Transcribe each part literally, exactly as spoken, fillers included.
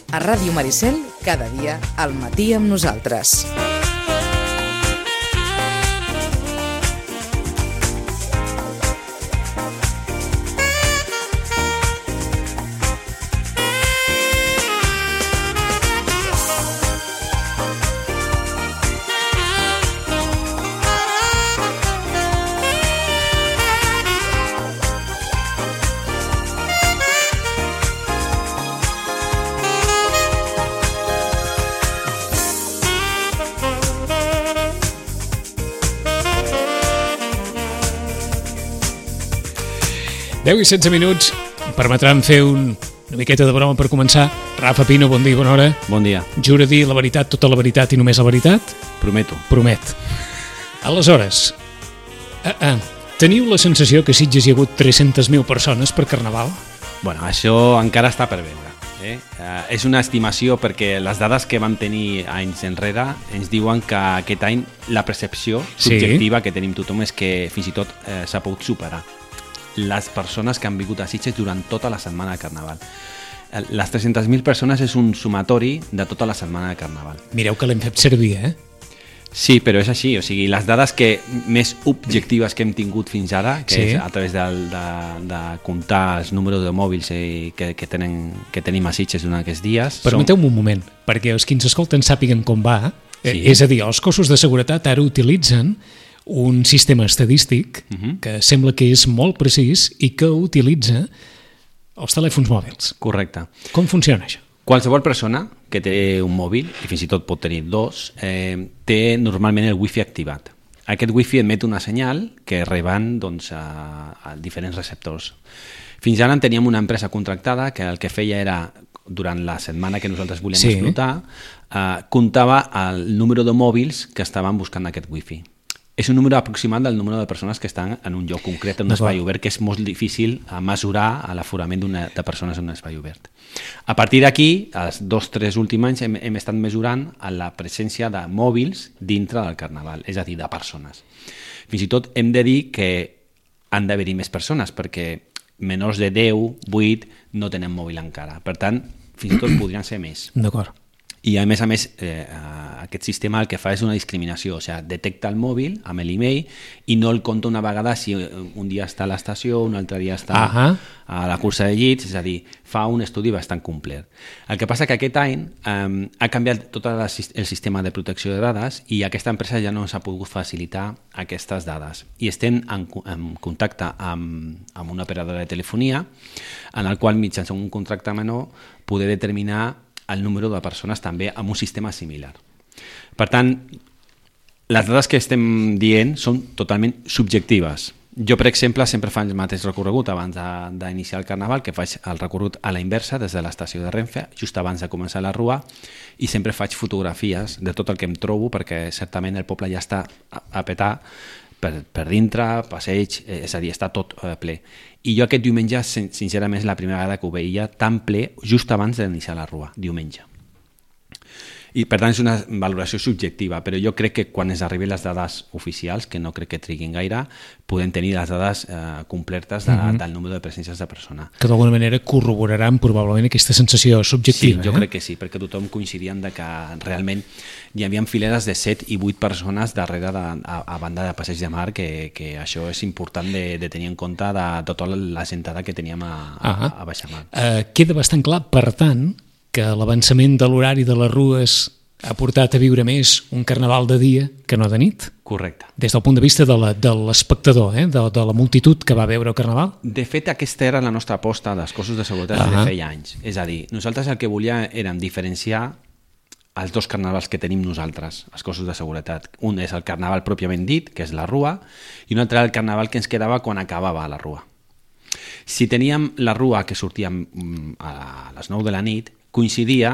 A Ràdio Maricel, cada dia al matí amb nosaltres. deu i setze minuts, em permetran fer un, una miqueta de broma per començar. Rafa Pino, bon dia, bona hora. Bon dia. Jura dir la veritat, tota la veritat i només la veritat? Prometo. Promet. Aleshores, uh, uh, teniu la sensació que a Sitges hi ha hagut tres-centes mil persones per Carnaval? Bueno, això encara està per veure. Eh? Uh, és una estimació perquè les dades que vam tenir anys enrere ens diuen que aquest any la percepció subjectiva sí. que tenim tothom és que fins i tot eh, s'ha pogut superar les persones que han vingut a Sitges durant tota la setmana de Carnaval. Les tres-centes mil persones és un sumatori de tota la setmana de Carnaval. Mireu que l'hem fet servir, eh? Sí, però és així, o sigui, les dades que més objectives que hem tingut fins ara, que sí. és a través de, de, de comptar els números de mòbils eh, que, que, tenen, que tenim a Sitges durant aquests dies... Permeteu-me són... un moment, perquè els que ens escolten sàpiguen com va, sí. eh, és a dir, els cossos de seguretat ara utilitzen un sistema estadístic uh-huh. que sembla que és molt precís i que utilitza els telèfons mòbils. Correcte. Com funciona això? Qualsevol persona que té un mòbil, i fins i tot pot tenir dos, eh, té normalment el wifi activat. Aquest wifi emet una senyal que reben doncs, a, a diferents receptors. Fins ara en teníem una empresa contractada que el que feia era, durant la setmana que nosaltres volíem sí. explotar, eh, comptava el número de mòbils que estaven buscant aquest wifi. És un número aproximat del número de persones que estan en un lloc concret, en un espai obert, que és molt difícil mesurar l'aforament de persones en un espai obert. A partir d'aquí, els dos o tres últims anys, hem, hem estat mesurant la presència de mòbils dintre del Carnaval, és a dir, de persones. Fins i tot hem de dir que han d'haver-hi més persones, perquè menors de deu, vuit, no tenen mòbil encara. Per tant, fins i tot podrien ser més. D'acord. I a més a més eh, aquest sistema el que fa és una discriminació, o sigui, detecta el mòbil amb l'email i no el compta una vegada si un dia està a l'estació, un altre dia està uh-huh. a la cursa de llits, és a dir, fa un estudi bastant complet. El que passa que aquest any eh, ha canviat tot el sistema de protecció de dades i aquesta empresa ja no s'ha pogut facilitar aquestes dades. I estem en, en contacte amb, amb una operadora de telefonia en el qual mitjançant un contracte menor poder determinar el número de persones també amb un sistema similar. Per tant, les dades que estem dient són totalment subjectives. Jo, per exemple, sempre faig el mateix recorregut abans d'iniciar el Carnaval, que faig el recorregut a la inversa des de l'estació de Renfe, just abans de començar la rua, i sempre faig fotografies de tot el que em trobo, perquè certament el poble ja està a petar per, per dintre, passeig, és a dir, està tot eh, ple. I jo aquest diumenge, sincerament, és la primera vegada que ho veia tan ple just abans d'iniciar la rua, diumenge. I per tant és una valoració subjectiva, però jo crec que quan es arriben les dades oficials, que no crec que triguin gaire, podem tenir les dades eh, completes de, mm-hmm. del número de presències de persona. Que d'alguna manera corroboraran probablement aquesta sensació subjectiva. Sí, jo eh? crec que sí, perquè tothom coincidien de que realment hi havia fileres de set i vuit persones darrere de, a, a banda de Passeig de Mar, que, que això és important de, de tenir en compte de tota la gentada que teníem a, a, a Baixamar. Uh, queda bastant clar, per tant, que l'avançament de l'horari de les rues ha portat a viure més un Carnaval de dia que no de nit? Correcte. Des del punt de vista de l'espectador, eh? de, de la multitud que va veure el Carnaval? De fet, aquesta era la nostra aposta dels cossos de seguretat uh-huh. de feia anys. És a dir, nosaltres el que volíem era diferenciar els dos carnavals que tenim nosaltres, els cossos de seguretat. Un és el Carnaval pròpiament dit, que és la rua, i un altre el Carnaval que ens quedava quan acabava la rua. Si teníem la rua que sortia a les nou de la nit, coincidia,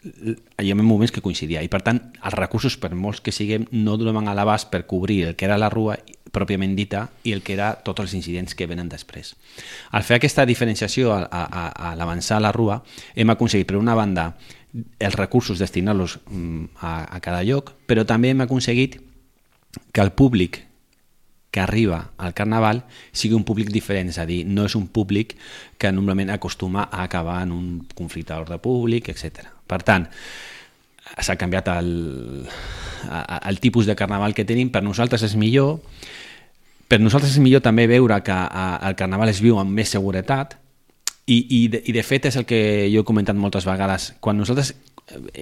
hi ha moments que coincidia, i per tant els recursos, per molts que siguem, no donaven a l'abast per cobrir el que era la rua pròpiament dita i el que era tots els incidents que venen després. Al fer aquesta diferenciació a, a, a l'avançar a la rua, hem aconseguit, per una banda, els recursos destinar-los a, a cada lloc, però també hem aconseguit que el públic que arriba al Carnaval sigui un públic diferent, és a dir, no és un públic que normalment acostuma a acabar en un conflicte d'ordre públic, etcètera. Per tant, s'ha canviat el, el tipus de Carnaval que tenim, per nosaltres és millor, per nosaltres és millor també veure que el Carnaval es viu amb més seguretat, i, i, de, i de fet és el que jo he comentat moltes vegades, quan nosaltres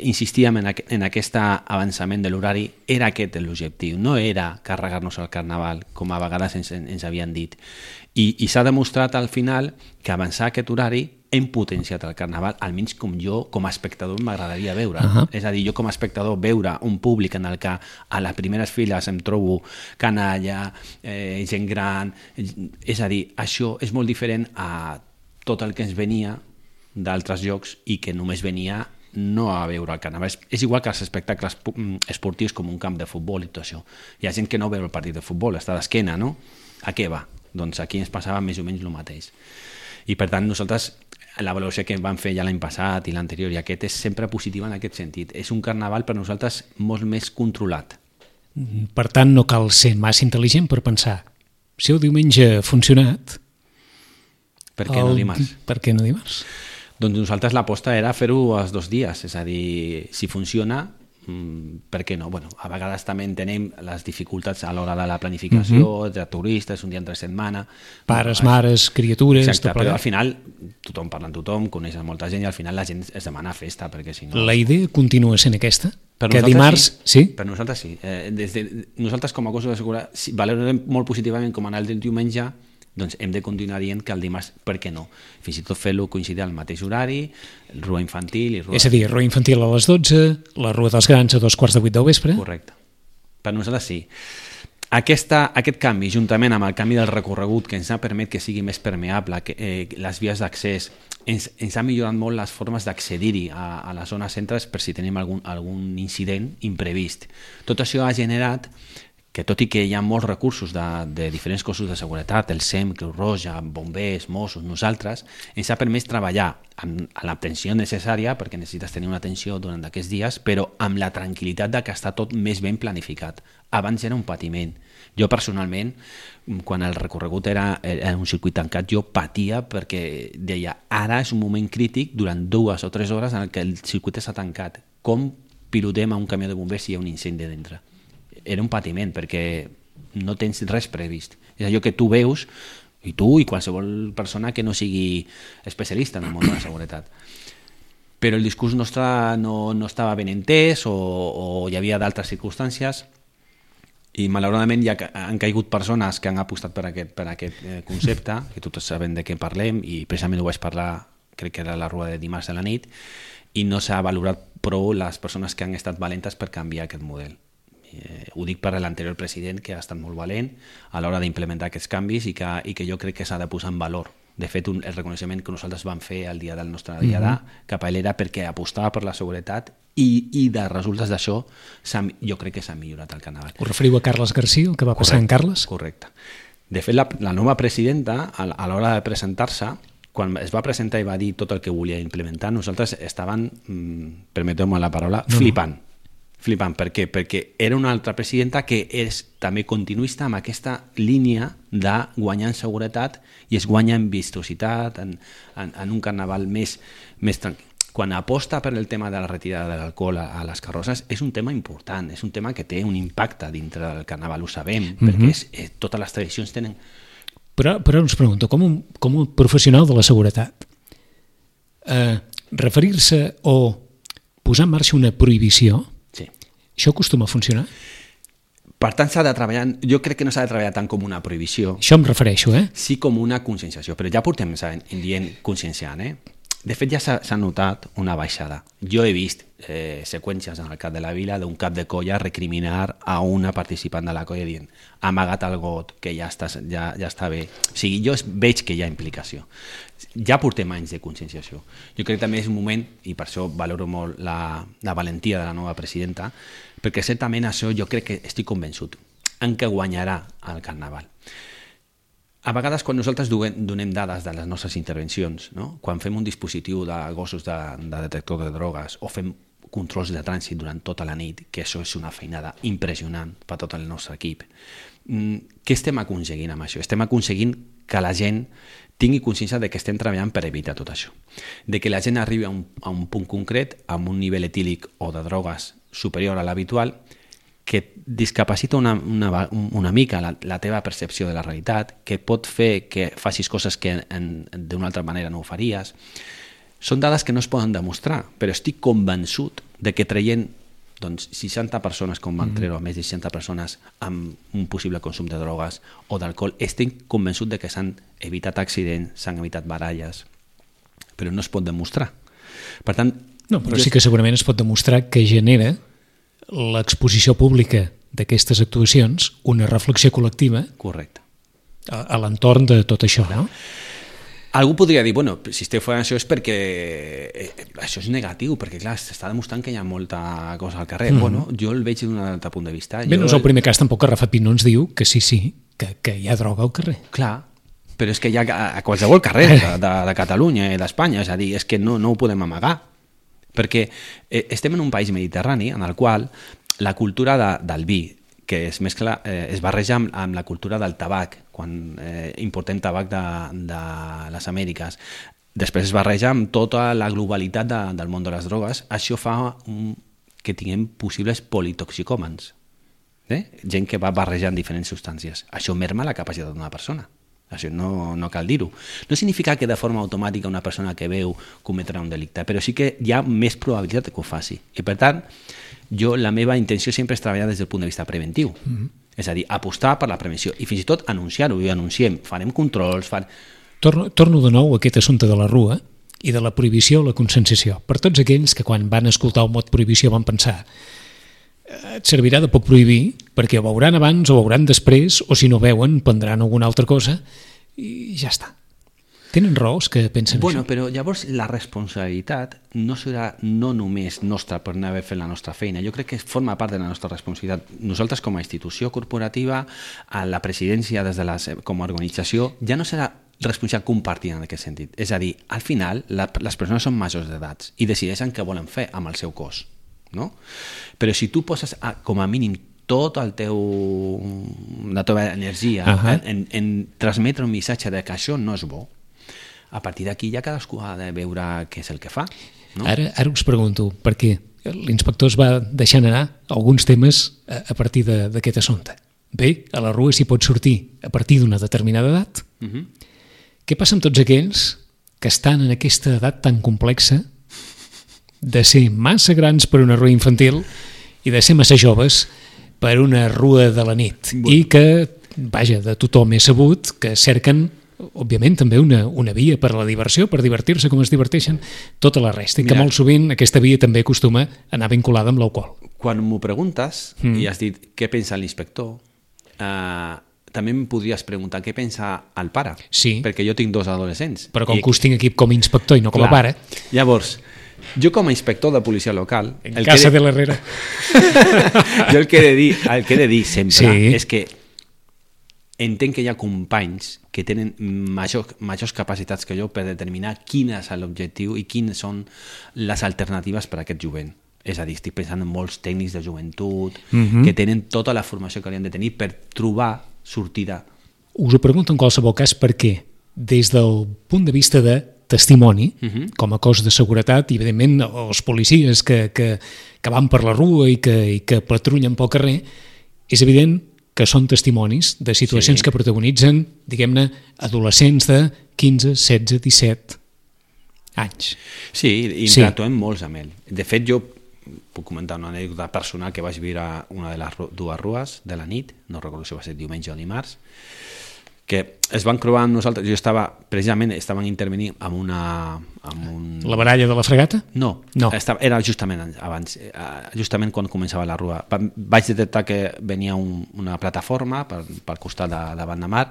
insistíem en, aqu en aquest avançament de l'horari, era aquest l'objectiu, no era carregar-nos el Carnaval, com a vegades ens, ens havien dit. I, i s'ha demostrat al final que avançar aquest horari hem potenciat el Carnaval, almenys com jo, com a espectador, m'agradaria veure. Uh -huh. És a dir, jo com a espectador veure un públic en el que a les primeres files em trobo canalla, eh, gent gran, és a dir, això és molt diferent a tot el que ens venia d'altres llocs i que només venia no a veure el Carnaval. És, és igual que els espectacles esportius com un camp de futbol i tot això. Hi ha gent que no veu el partit de futbol, està d'esquena, no? A què va? Doncs aquí ens passava més o menys el mateix. I per tant nosaltres, la valoració que vam fer ja l'any passat i l'anterior i aquest és sempre positiva en aquest sentit. És un Carnaval per nosaltres molt més controlat. Per tant, no cal ser massa intel·ligent per pensar si el diumenge ha funcionat, per què no dimarts? Per què no dimarts? Doncs nosaltres l'aposta era fer-ho els dos dies, és a dir, si funciona, per què no? Bueno, a vegades també entenem les dificultats a l'hora de la planificació, uh -huh. de turistes, un dia entre setmana... Pares, bueno, mares, criatures... Exacte, però al final tothom parla amb tothom, coneix molta gent i al final la gent es demana festa, perquè si no... La idea continua sent aquesta? Per que dimarts... Sí. sí? Per nosaltres sí. Eh, des de, nosaltres com a cossos de seguretat si valorem molt positivament com anar el diumenge, doncs hem de continuar dient que el dimarts, per què no? Fins i tot fer-lo coincidir al mateix horari, rua infantil... I rua... És a dir, rua infantil a les dotze, la rua dels grans a dos quarts de vuit del vespre... Correcte. Per nosaltres sí. Aquesta, aquest canvi, juntament amb el canvi del recorregut, que ens ha permès que sigui més permeable, que, eh, les vies d'accés, ens, ens ha millorat molt les formes d'accedir-hi a, a les zones centres per si tenim algun, algun incident imprevist. Tot això ha generat que tot i que hi ha molts recursos de, de diferents cossos de seguretat, el S E M, Creu Roja, bombers, Mossos, nosaltres, ens ha permès treballar amb, amb l'atenció necessària, perquè necessites tenir una atenció durant aquests dies, però amb la tranquil·litat de que està tot més ben planificat. Abans era un patiment. Jo personalment, quan el recorregut era, era un circuit tancat, jo patia perquè deia, ara és un moment crític durant dues o tres hores en què el circuit està tancat. Com pilotem a un camió de bombers si hi ha un incendi dintre? Era un patiment perquè no tens res previst. És allò que tu veus, i tu i qualsevol persona que no sigui especialista en el món de la seguretat. Però el discurs nostre no, no estava ben entès o, o hi havia d'altres circumstàncies i malauradament ja han caigut persones que han apostat per aquest, per aquest concepte, que tots sabem de què parlem i precisament ho vaig parlar, crec que era la rua de dimarts a la nit, i no s'ha valorat prou les persones que han estat valentes per canviar aquest model. Eh, ho dic per l'anterior president, que ha estat molt valent a l'hora d'implementar aquests canvis i que, i que jo crec que s'ha de posar en valor. De fet, un, el reconeixement que nosaltres vam fer el dia del nostre dia d'A mm-hmm. cap a ell era perquè apostava per la seguretat i, i de resultes d'això jo crec que s'ha millorat el Carnaval. Us referiu a Carles García, el que va passar correcte, en Carles? Correcte. De fet, la, la nova presidenta, a, a l'hora de presentar-se, quan es va presentar i va dir tot el que volia implementar, nosaltres estàvem, mmm, permeteu-me la paraula, no, flipant. No. Flipant. Per què? Perquè era una altra presidenta que és també continuista amb aquesta línia de guanyar en seguretat i es guanya en vistositat, en, en, en un Carnaval més, més tranquil. Quan aposta per el tema de la retirada de l'alcohol a, a les carrosses és un tema important, és un tema que té un impacte dintre del Carnaval, ho sabem, mm-hmm. perquè és, eh, totes les tradicions tenen... Però, però us pregunto, com un, com un professional de la seguretat, eh, referir-se o posar en marxa una prohibició, sí. Això acostuma a funcionar? Per tant, s'ha de treballar, jo crec que no s'ha de treballar tant com una prohibició. Això em refereixo, eh? Sí, com una conscienciació, però ja portem dient conscienciant, eh? De fet, ja s'ha notat una baixada. Jo he vist eh, seqüències en el cap de la vila d'un cap de colla recriminar a una participant de la colla dient ha amagat el got, que ja està, ja, ja està bé. O sigui, jo veig que hi ha implicació. Ja portem anys de conscienciació. Jo crec que també és un moment, i per això valoro molt la, la valentia de la nova presidenta, perquè certament això jo crec que estic convençut en què guanyarà el Carnaval. A vegades, quan nosaltres donem dades de les nostres intervencions, no? Quan fem un dispositiu de gossos de, de detector de drogues o fem controls de trànsit durant tota la nit, que això és una feinada impressionant per tot el nostre equip, què estem aconseguint amb això? Estem aconseguint que la gent tingui consciència de que estem treballant per evitar tot això. De que la gent arribi a un, a un punt concret, amb un nivell etílic o de drogues superior a l'habitual, que discapacita una, una, una mica la, la teva percepció de la realitat, que pot fer que facis coses que d'una altra manera no ho faries. Són dades que no es poden demostrar, però estic convençut de que traient doncs, seixanta persones, com van treure més de seixanta persones amb un possible consum de drogues o d'alcohol, estic convençut de que s'han evitat accidents, s'han evitat baralles, però no es pot demostrar. Per tant... No, però jo... sí que segurament es pot demostrar que genera l'exposició pública d'aquestes actuacions una reflexió col·lectiva. Correcte. A, a l'entorn de tot això, no? Algú podria dir, bueno, si esteu fent això és perquè eh, això és negatiu, perquè clar, s'està demostrant que hi ha molta cosa al carrer. Mm-hmm. Bueno, jo el veig d'un altre punt de vista. Bé, jo... no és el primer cas tampoc que Rafa Pino ens diu que sí, sí, que, que hi ha droga al carrer. Clar, però és que hi ha a qualsevol carrer de, de, de Catalunya i d'Espanya, és a dir, és que no, no ho podem amagar, perquè eh, estem en un país mediterrani en el qual la cultura de, del vi, que es mescla, eh, es barreja amb, amb la cultura del tabac, quan eh, importem tabac de, de les Amèriques. Després es barreja amb tota la globalitat de, del món de les drogues. Això fa un, que tinguem possibles politoxicòmens. Eh? Gent que va barrejant diferents substàncies. Això merma la capacitat d'una persona. Això no, no cal dir-ho. No significa que de forma automàtica una persona que veu cometrà un delicte, però sí que hi ha més probabilitat que ho faci. I per tant, jo la meva intenció sempre és treballar des del punt de vista preventiu. Mm-hmm. És a dir, apostar per la prevenció i fins i tot anunciar-ho, i anunciem, farem controls... Far... Torno, torno de nou a aquest assumpte de la rua i de la prohibició o la conscienciació. Per tots aquells que quan van escoltar el mot prohibició van pensar et servirà de poc prohibir perquè ho veuran abans o ho veuran després o si no veuen prendran alguna altra cosa i ja està. Tenen raons que pensen bueno, això. Però llavors la responsabilitat no serà no només nostra per no haver fet la nostra feina. Jo crec que forma part de la nostra responsabilitat. Nosaltres com a institució corporativa, a la presidència des de les, com a organització, ja no serà responsabilitat compartida en aquest sentit. És a dir, al final la, les persones són majors d'edats i decideixen què volen fer amb el seu cos. No? Però si tu poses a, com a mínim tot el teu, la teva energia uh-huh. en, en, en transmetre un missatge de que això no és bo, a partir d'aquí ja cadascú ha de veure què és el que fa. No? Ara, ara us pregunto, perquè l'inspector es va deixant anar alguns temes a, a partir d'aquest assumpte. Bé, a la rua s'hi pot sortir a partir d'una determinada edat. Uh-huh. Què passa amb tots aquells que estan en aquesta edat tan complexa de ser massa grans per una rua infantil i de ser massa joves per una rua de la nit? Bueno. I que, vaja, de tothom és sabut que cerquen òbviament també una, una via per a la diversió, per divertir-se com es diverteixen tota la resta, i que Mira, molt sovint aquesta via també acostuma a anar vinculada amb l'alcohol. Quan m'ho preguntes mm. i has dit què pensa l'inspector, eh, també em podries preguntar què pensa el pare, sí. perquè jo tinc dos adolescents. Però com i... que us tinc aquí com a inspector i no com Clar. a pare... Llavors, jo com a inspector de policia local... En casa de, de l'Herrera. jo el que he de dir, el que he de dir sempre sí. és que entenc que hi ha companys que tenen major, majors capacitats que jo per determinar quin és l'objectiu i quines són les alternatives per a aquest jovent. És a dir, estic pensant en molts tècnics de joventut mm-hmm. que tenen tota la formació que haurien de tenir per trobar sortida. Us ho pregunto en qualsevol cas perquè des del punt de vista de testimoni, uh-huh. com a cos de seguretat, i evidentment els policies que, que, que van per la rua i que, i que patrullen pel carrer, és evident que són testimonis de situacions sí. que protagonitzen, diguem-ne, adolescents de quinze, setze, disset anys. Sí, i interactuem sí. molts amb ell. De fet, jo puc comentar una anècdota personal que vaig viure una de les dues rues de la nit, no recordo si va ser diumenge o dimarts, que es van crobar amb nosaltres. Jo estava, precisament, estaven intervenint amb una... Amb un... La baralla de la fregata? No, no. Estava, era justament abans, justament quan començava la rua. Vaig detectar que venia un, una plataforma per, pel costat de, davant de mar.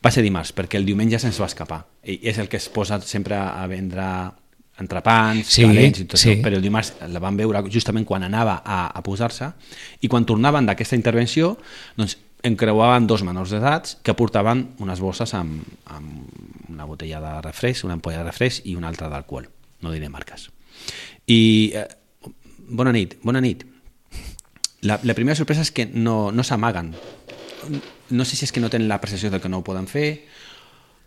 Va ser dimarts, perquè el diumenge se'ns va escapar. I és el que es posa sempre a vendre entrepans, sí, calents i tot sí. això, però el dimarts la van veure justament quan anava a, a posar-se, i quan tornaven d'aquesta intervenció, doncs encreuaven dos menors d'edats que portaven unes bosses amb, amb una botella de refresc, una ampolla de refresc i una altra d'alcohol, no diré marques. I eh, bona nit, bona nit. La, la primera sorpresa és que no, no s'amaguen. no sé si és que no tenen la percepció de que no ho poden fer.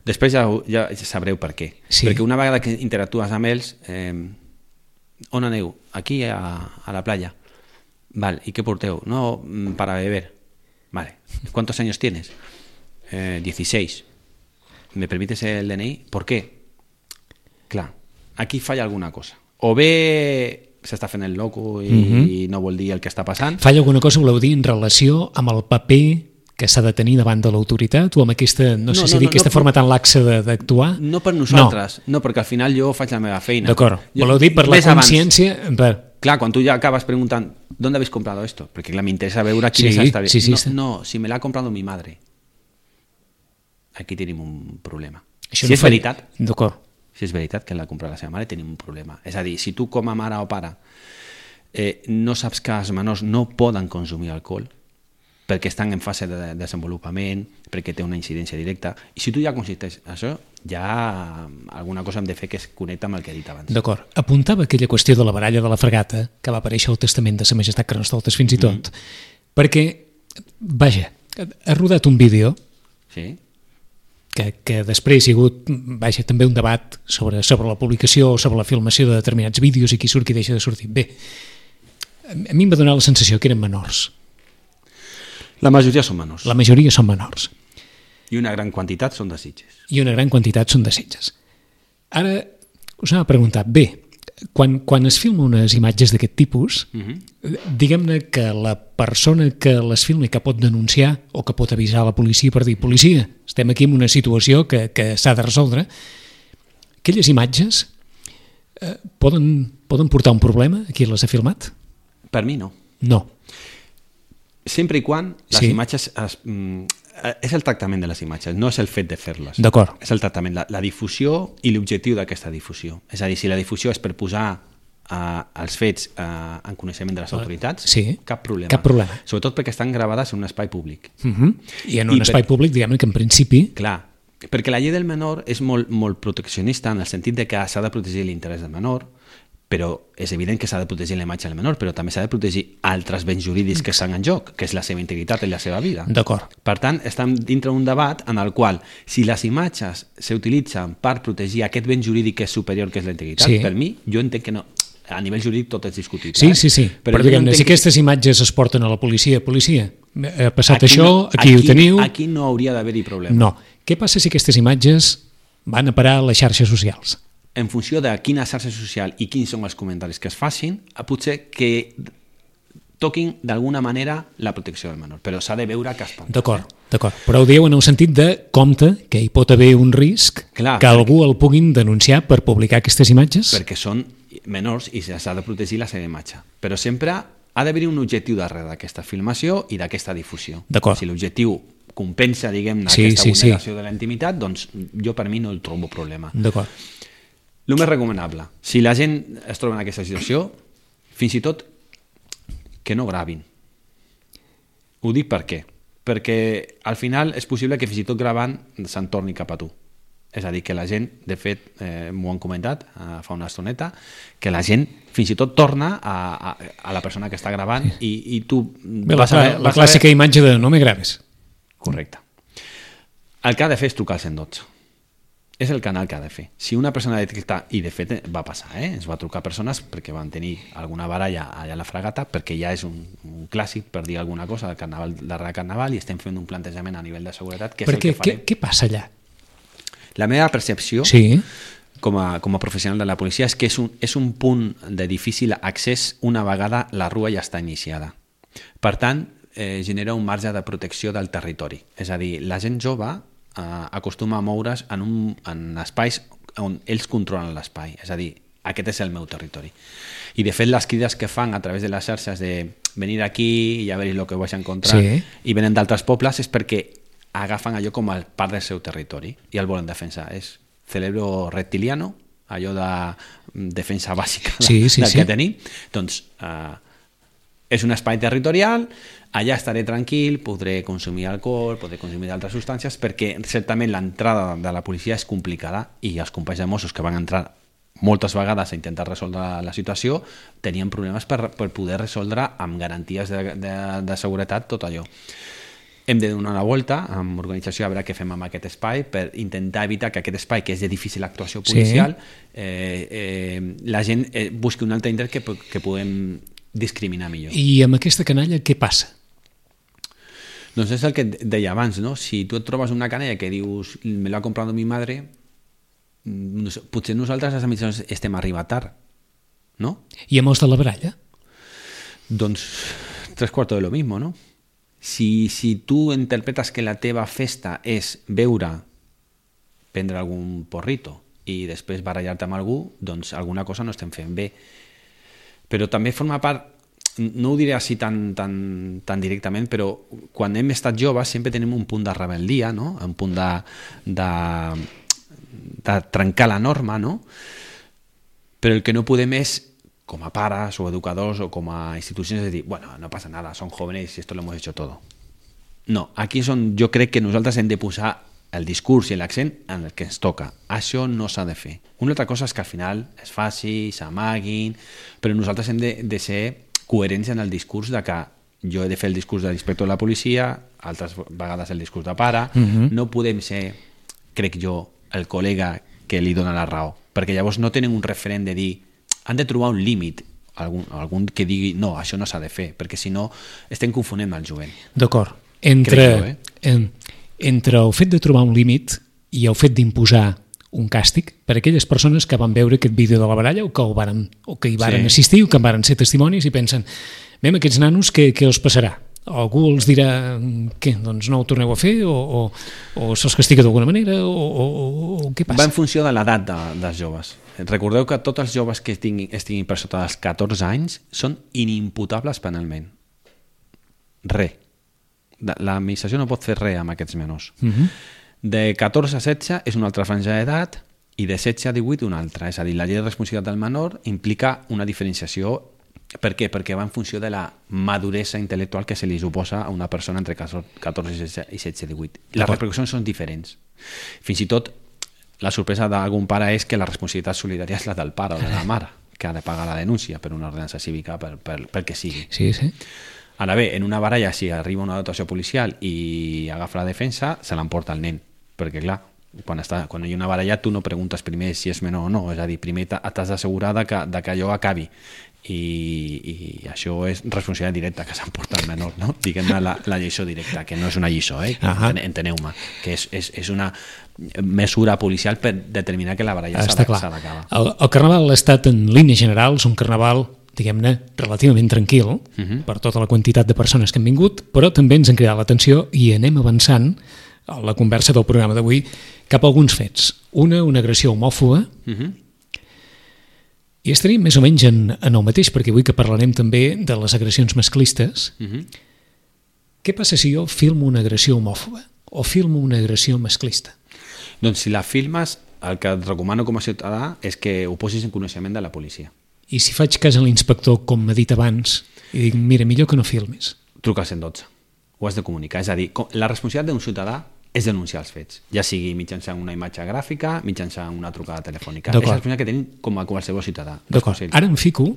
Després ja, ja sabreu per què. Sí. Perquè una vegada que interactues amb ells, eh, on aneu? Aquí a, a la playa. Vale, ¿y qué porteo? No, para beber. Vale. ¿Cuántos años tienes? Eh, dieciséis. ¿Me permites el D N I? ¿Por qué? Clar, aquí falla alguna cosa. O bé s'està fent el loco i, uh-huh. i no vol dir el que està passant. Falla alguna cosa, voleu dir, en relació amb el paper que s'ha de tenir davant de l'autoritat o amb aquesta, no, no sé no, si dir, no, aquesta no, forma tan laxa d'actuar? No per nosaltres, no. no, perquè al final jo faig la meva feina. D'acord, voleu dir per la consciència... Per... Clar, quan tu ja acabes preguntant ¿dónde habéis comprado esto? Perquè clar, m'interessa veure quin sí, és esta... Sí, sí, no, sí. no, si me l'ha comprado mi madre. Aquí tenim un problema. Això si no és veritat, d'acord. Si és veritat que l'ha comprat la seva mare, tenim un problema. És a dir, si tu com a mare o pare eh, no saps que els menors no poden consumir alcohol perquè estan en fase de desenvolupament, perquè té una incidència directa, i si tu ja consisteix això, ja alguna cosa hem de fer que es connecta amb el que he dit abans. D'acord. Apuntava aquella qüestió de la baralla de la fragata, que va aparèixer al testament de Sa Majestat Carnestoltes fins i tot, mm. perquè, vaja, ha rodat un vídeo sí. que, que després hi ha hagut, vaja, també un debat sobre, sobre la publicació o sobre la filmació de determinats vídeos i qui surt, qui deixa de sortir. Bé, a mi em va donar la sensació que eren menors. La majoria són menors. La majoria són menors. I una gran quantitat són de Sitges. I una gran quantitat són de Sitges. Ara, us anava a preguntar, bé, quan, quan es filma unes imatges d'aquest tipus, uh-huh. diguem-ne que la persona que les filma i que pot denunciar o que pot avisar a la policia per dir policia, estem aquí en una situació que, que s'ha de resoldre, aquelles imatges eh, poden, poden portar un problema a qui les ha filmat? Per mi no. No. Sempre i quan les sí. imatges... Es, mm, és el tractament de les imatges, no és el fet de fer-les. D'acord. És el tractament, la, la difusió i l'objectiu d'aquesta difusió. És a dir, si la difusió és per posar uh, els fets uh, en coneixement de les autoritats, sí. cap problema. Cap problema. Sobretot perquè estan gravades en un espai públic. Uh-huh. I en un I espai per... públic, diguem-ne que en principi... Clar, perquè la llei del menor és molt, molt proteccionista en el sentit de que s'ha de protegir l'interès del menor, però és evident que s'ha de protegir la imatge del menor, però també s'ha de protegir altres béns jurídics que estan en joc, que és la seva integritat i la seva vida. D'acord. Per tant, estem dintre d'un debat en el qual, si les imatges s'utilitzen per protegir aquest ben jurídic que és superior, que és la integritat, sí. per mi, jo entenc que no. A nivell jurídic tot és discutible. Sí, sí, sí. Però, però diguem-ne, si aquestes imatges es porten a la policia, policia, ha passat aquí això, no, aquí, aquí ho teniu... Aquí no hauria d'haver-hi problema. No. Què passa si aquestes imatges van a parar a les xarxes socials? En funció de quina xarxa social i quins són els comentaris que es facin, potser que toquin d'alguna manera la protecció del menor, però s'ha de veure que es pot. D'acord, d'acord. Però ho dieu en el sentit de compte que hi pot haver un risc Clar, que perquè, algú el puguin denunciar per publicar aquestes imatges? Perquè són menors i s'ha de protegir la seva imatge. Però sempre ha d'haver un objectiu darrere d'aquesta filmació i d'aquesta difusió. D'acord. Si l'objectiu compensa, diguem-ne, sí, aquesta sí, vulneració sí. de la intimitat, doncs jo per mi no el trobo problema. D'acord. El més recomanable, si la gent es troba en aquesta situació, fins i tot que no gravin. Ho dic per què? Perquè al final és possible que fins i tot gravant se'n torni cap a tu. És a dir, que la gent, de fet, eh, m'ho han comentat eh, fa una estoneta, que la gent fins i tot torna a, a, a la persona que està gravant i, i tu... Bé, vas la, a, la vas clàssica a... imatge de no me graves. Correcte. El que ha de fer és trucar al cent dotze. És el canal que ha de fer. Si una persona detecta, i de fet va passar, eh? ens va trucar persones perquè van tenir alguna baralla allà a la fragata, perquè ja és un, un clàssic, per dir alguna cosa, del carnaval, darrere carnaval, i estem fent un plantejament a nivell de seguretat, que és perquè, el que farem. Què, què passa allà? La meva percepció, sí. com, a, com a professional de la policia, és que és un, és un punt de difícil accés una vegada la rua ja està iniciada. Per tant, eh, genera un marge de protecció del territori. És a dir, la gent jove Uh, acostuma a moure's en, un, en espais on ells controlen l'espai, és a dir, aquest és el meu territori. I de fet les crides que fan a través de les xarxes de venir aquí i a veure el que vaig encontrar sí. i venen d'altres pobles és perquè agafen allò com a part del seu territori i el volen defensar. És cerebro reptiliano, allò de defensa bàsica sí, sí, del sí. que tenim. Doncs uh, és un espai territorial, allà estaré tranquil, podré consumir alcohol, podré consumir altres substàncies, perquè certament l'entrada de la policia és complicada i els companys de Mossos que van entrar moltes vegades a intentar resoldre la situació tenien problemes per, per poder resoldre amb garanties de, de, de seguretat tot allò. hem de donar una volta amb organització a veure què fem amb aquest espai per intentar evitar que aquest espai, que és de difícil actuació policial, sí. eh, eh, la gent eh, busqui un altre indret que, que puguem discriminar millor. I amb aquesta canalla què passa? Doncs és el que deia abans, no? Si tu et trobes una canalla que dius me l'ha comprat mi madre, potser nosaltres les administracions estem arribant tard, no? I amb els de la baralla? Doncs tres quartos de lo mismo, no? Si, si tu interpretes que la teva festa és beure, prendre algun porrito i després barallar-te amb algú, doncs alguna cosa no estem fent bé. Però també forma part, no ho diré així tan, tan, tan directament, però quan hem estat joves sempre tenim un punt de rebel·lia, no? Un punt de, de, de trencar la norma, no? Però el que no podem és, com a pares o educadors o com a institucions, de dir, bueno, no passa nada, son jóvenes y esto lo hemos hecho todo. No, aquí és on jo crec que nosaltres hem de posar el discurs i l'accent en el que ens toca. Això no s'ha de fer. Una altra cosa és que al final es faci, s'amaguin, però nosaltres hem de, de ser coherents en el discurs de que jo he de fer el discurs de l'inspector de la policia, altres vegades el discurs de pare, uh-huh. No podem ser, crec jo, el col·lega que li dona la raó, perquè llavors no tenen un referent de dir han de trobar un límit, algun, algun que digui no, això no s'ha de fer, perquè si no estem confonent el jovent. D'acord. Entre, jo, eh? en, entre el fet de trobar un límit i el fet d'imposar un càstig per a aquelles persones que van veure aquest vídeo de la baralla o que, el varen, o que hi varen sí. assistir o que en varen ser testimonis i pensen, veiem aquests nanos, què, què els passarà? Algú els dirà què, doncs no ho torneu a fer o, o, o se'ls castiga d'alguna manera o, o, o què passa? Va en funció de l'edat de, dels joves. Recordeu que tots els joves que estiguin, estiguin per sota dels catorze anys són inimputables penalment. Re. L'administració no pot fer res amb aquests menors. Uh-huh. De catorze a setze és una altra franja d'edat i de setze a divuit una altra. És a dir, la llei de responsabilitat del menor implica una diferenciació. Per què? Perquè va en funció de la maduresa intel·lectual que se li suposa a una persona entre catorze i setze a divuit. Les repercussions són diferents. Fins i tot la sorpresa d'algun pare és que la responsabilitat solidària és la del pare o de la mare, que ha de pagar la denúncia per una ordenança cívica, per, per, per que sigui. Sí, sí. Ara bé, en una baralla, si arriba una dotació policial i agafa la defensa, se l'emporta el nen, perquè clar, quan, està, quan hi ha una baralla tu no preguntes primer si és menor o no, és a dir, primer t'has d'assegurar de que, de que allò acabi. I, i això és responsabilitat directa que s'emporta el menor, no? Diguem-ne la, la lliçó directa, que no és una lliçó, eh? Uh-huh. Enteneu-me, que és, és, és una mesura policial per determinar que la baralla s'ha d'acabar. El, el carnaval ha estat en línies generals un carnaval, diguem-ne, relativament tranquil, uh-huh. per tota la quantitat de persones que han vingut, però també ens han cridat l'atenció i anem avançant a la conversa del programa d'avui cap a alguns fets. Una, una agressió homòfoba, uh-huh. i estaríem més o menys en, en el mateix, perquè avui que parlarem també de les agressions masclistes. Uh-huh. Què passa si jo filmo una agressió homòfoba o filmo una agressió masclista? Doncs si la filmes, el que et recomano com a ciutadà és que ho posis en coneixement de la policia. I si faig cas a l'inspector, com m'ha dit abans, i dic, mira, millor que no filmis. Truca al cent dotze. Ho has de comunicar. És a dir, la responsabilitat d'un ciutadà és denunciar els fets, ja sigui mitjançant una imatge gràfica, mitjançant una trucada telefònica. És la responsabilitat que tenim com a qualsevol ciutadà. D'acord. Ara em fico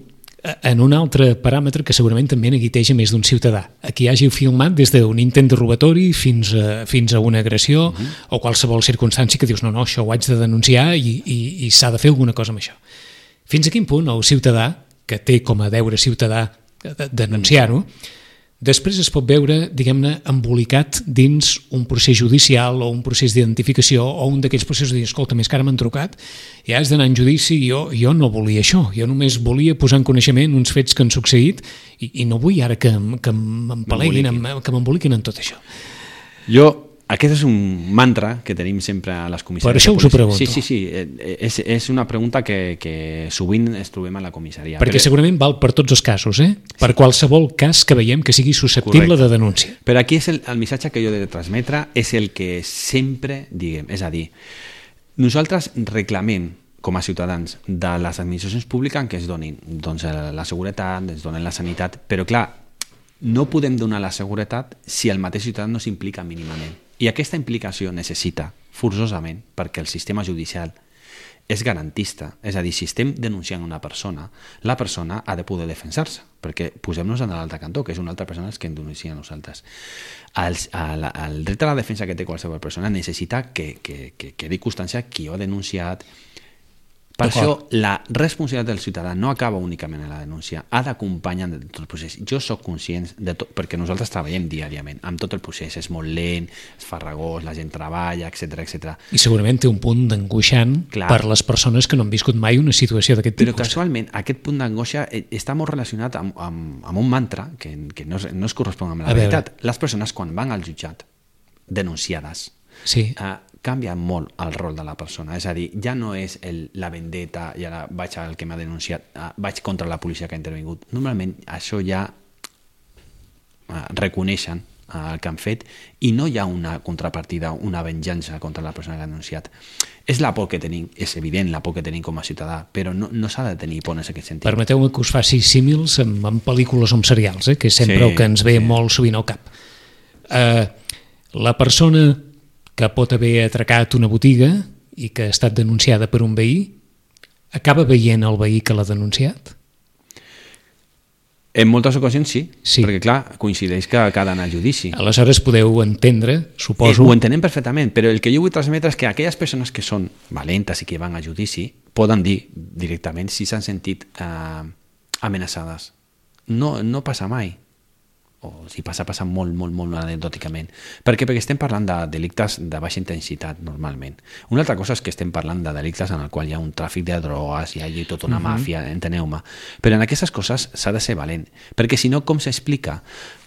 en un altre paràmetre que segurament també neguiteja més d'un ciutadà. Aquí hagi filmat des d'un intent de robatori fins a, fins a una agressió uh-huh. o qualsevol circumstància que dius no, no, això ho haig de denunciar i, i, i s'ha de fer alguna cosa amb això. Fins a quin punt el ciutadà, que té com a deure ciutadà de denunciar-ho, després es pot veure, diguem-ne, embolicat dins un procés judicial o un procés d'identificació o un d'aquells processos de dir, escolta, més que ara m'han trucat, ja has d'anar en judici, jo, jo no volia això, jo només volia posar en coneixement uns fets que han succeït i, i no vull ara que, que m'empaleguin, que m'emboliquin en tot això. Jo, aquest és un mantra que tenim sempre a les comissaries. Per això us ho pregunto. Sí, sí, sí, és, és una pregunta que, que sovint es trobem a la comissaria. Perquè segurament val per tots els casos, eh? Per sí. Qualsevol cas que veiem que sigui susceptible Correcte. De denúncia. Però aquí és el, el missatge que jo he de transmetre és el que sempre diguem, és a dir, nosaltres reclamem com a ciutadans de les administracions públiques que es donin doncs, la seguretat, es donen la sanitat, però clar, no podem donar la seguretat si el mateix ciutadà no s'implica mínimament. I aquesta implicació necessita, forçosament, perquè el sistema judicial és garantista. És a dir, si estem denunciant una persona, la persona ha de poder defensar-se, perquè posem-nos en l'altre cantó, que és una altra persona que ens denuncia a nosaltres. El, el, el dret a la defensa que té qualsevol persona necessita que, que, que quedi constància qui ho ha denunciat. Per això, la responsabilitat del ciutadà no acaba únicament en la denúncia, ha d'acompanyar en tot el procés. Jo sóc conscient, de tot, perquè nosaltres treballem diàriament amb tot el procés, és molt lent, és farragós, la gent treballa, etcètera, etcètera. I segurament té un punt d'angoixant per les persones que no han viscut mai una situació d'aquest tipus. Però casualment, aquest punt d'angoixa està molt relacionat amb, amb, amb un mantra que, que no, es, no es correspon amb la veritat. Les persones, quan van al jutjat denunciades, sí. eh, canvia molt el rol de la persona, és a dir, ja no és el, la vendetta i ara vaig al que m'ha denunciat, uh, vaig contra la policia que ha intervingut. Normalment això ja uh, reconeixen uh, el que han fet i no hi ha una contrapartida, una venjança contra la persona que ha denunciat. És la por que tenim, és evident la por que tenim com a ciutadà, però no, no s'ha de tenir por en aquest sentit. Permeteu-me que us faci símils amb, amb pel·lícules o amb serials, eh, que és sempre sí, el que ens ve sí. molt sovint al cap. Uh, la persona que pot haver atracat una botiga i que ha estat denunciada per un veí, acaba veient el veí que l'ha denunciat? En moltes ocasions sí, sí, perquè clar, coincideix que, que ha d'anar a judici. Aleshores podeu entendre, suposo... Eh, ho entenem perfectament, però el que jo vull transmetre és que aquelles persones que són valentes i que van a judici poden dir directament si s'han sentit eh, amenaçades. No, no passa mai. O si passa, passa molt, molt, molt anecdòticament. Per què? Perquè estem parlant de delictes de baixa intensitat, normalment. Una altra cosa és que estem parlant de delictes en el qual hi ha un tràfic de drogues, hi ha tota una uh-huh. màfia, enteneu-me. Però en aquestes coses s'ha de ser valent, perquè si no, com s'explica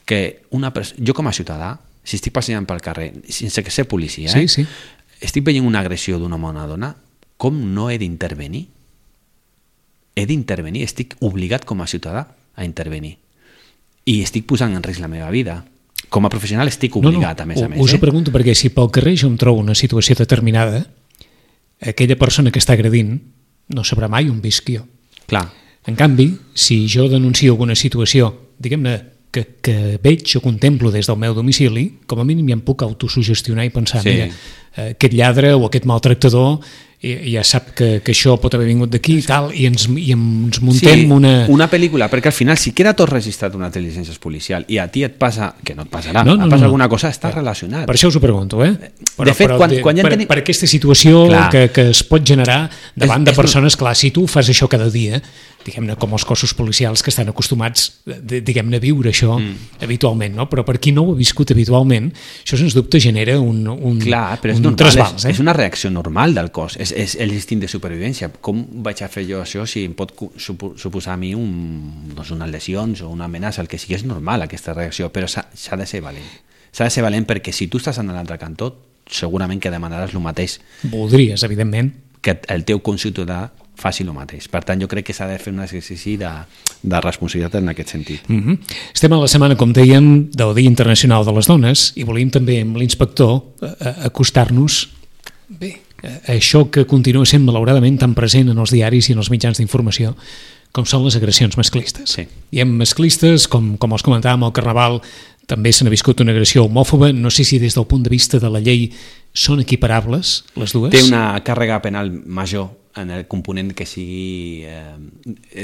que una persona... Jo com a ciutadà, si estic passejant pel carrer, sense ser policia, eh? sí, sí. estic veient una agressió d'un home o una dona, com no he d'intervenir? He d'intervenir, estic obligat com a ciutadà a intervenir. I estic posant en risc la meva vida. Com a professional estic obligat, no, no, a més a més. Us eh? ho pregunto perquè si pel carrer jo em trobo una situació determinada, aquella persona que està agredint no sabrà mai on visc jo. Clar. En canvi, si jo denuncio alguna situació, diguem-ne, que, que veig o contemplo des del meu domicili, com a mínim ja em puc autosugestionar i pensar, sí. mira, aquest lladre o aquest maltractador i ja sap que, que això pot haver vingut d'aquí i tal, i ens, i ens muntem sí, una... una pel·lícula, perquè al final si queda tot registrat una intel·ligència policial i a ti et passa, que no et passarà, no, no, et passa no, alguna no. cosa, està relacionat. Per això us ho pregunto, eh? Però, de fet, però, quan, quan ja per, tenim... per aquesta situació que, que es pot generar davant és, de persones, és... clar, si tu fas això cada dia, diguem-ne, com els cossos policials que estan acostumats, diguem-ne, a viure això mm. habitualment, no? Però per qui no ho ha viscut habitualment, això sens dubte genera un, un, clar, però és un normal, trasbals. És, eh? és una reacció normal del cos, és, és l'instint de supervivència. Com vaig a fer jo això si em pot suposar a mi un, doncs unes lesions o una amenaça, el que sigui, és normal aquesta reacció, però s'ha de ser valent. S'ha de ser valent perquè si tu estàs en l'altre cantó, segurament que demanaràs el mateix. Voldries, evidentment. Que el teu conciutadà faci el mateix. Per tant, jo crec que s'ha de fer un exercici de, de responsabilitat en aquest sentit. Mm-hmm. Estem a la setmana, com dèiem, del Dia Internacional de les Dones i volíem també amb l'inspector acostar-nos bé, això que continua sent malauradament tan present en els diaris i en els mitjans d'informació com són les agressions masclistes. Sí. I en masclistes, com, com els comentàvem al Carnaval, també se n'ha viscut una agressió homòfoba. No sé si des del punt de vista de la llei són equiparables les dues. Té una càrrega penal major en el component que sigui eh,